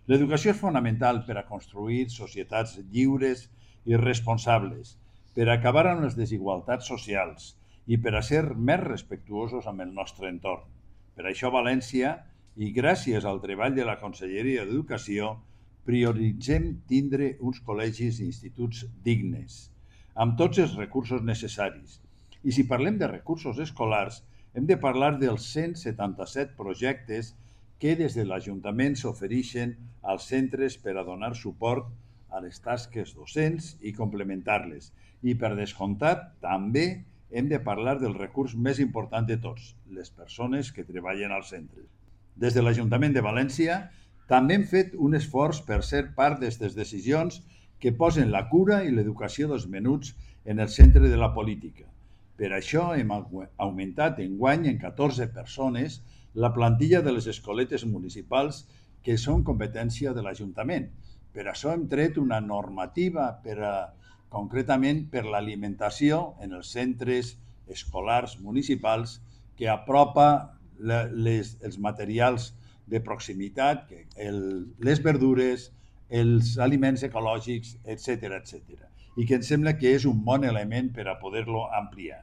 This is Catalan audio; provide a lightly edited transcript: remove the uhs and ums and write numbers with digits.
L'educació és fonamental per a construir societats lliures i responsables, per a acabar amb les desigualtats socials i per a ser més respectuosos amb el nostre entorn. Per això, València, i gràcies al treball de la Conselleria d'Educació, prioritzem tindre uns col·legis i instituts dignes, amb tots els recursos necessaris. I si parlem de recursos escolars, hem de parlar dels 177 projectes que des de l'Ajuntament s'ofereixen als centres per a donar suport a les tasques docents i complementar-les. I, per descomptat, també hem de parlar del recurs més important de tots, les persones que treballen als centres. Des de l'Ajuntament de València també hem fet un esforç per ser part d'aquestes decisions que posen la cura i l'educació dels menuts en el centre de la política. Per això hem augmentat enguany en 14 persones la plantilla de les escoletes municipals que són competència de l'Ajuntament. Per això hem tret una normativa concretament per l'alimentació en els centres escolars municipals que apropa els materials de proximitat, les verdures, els aliments ecològics, etc. I que em sembla que és un bon element per a poder-lo ampliar.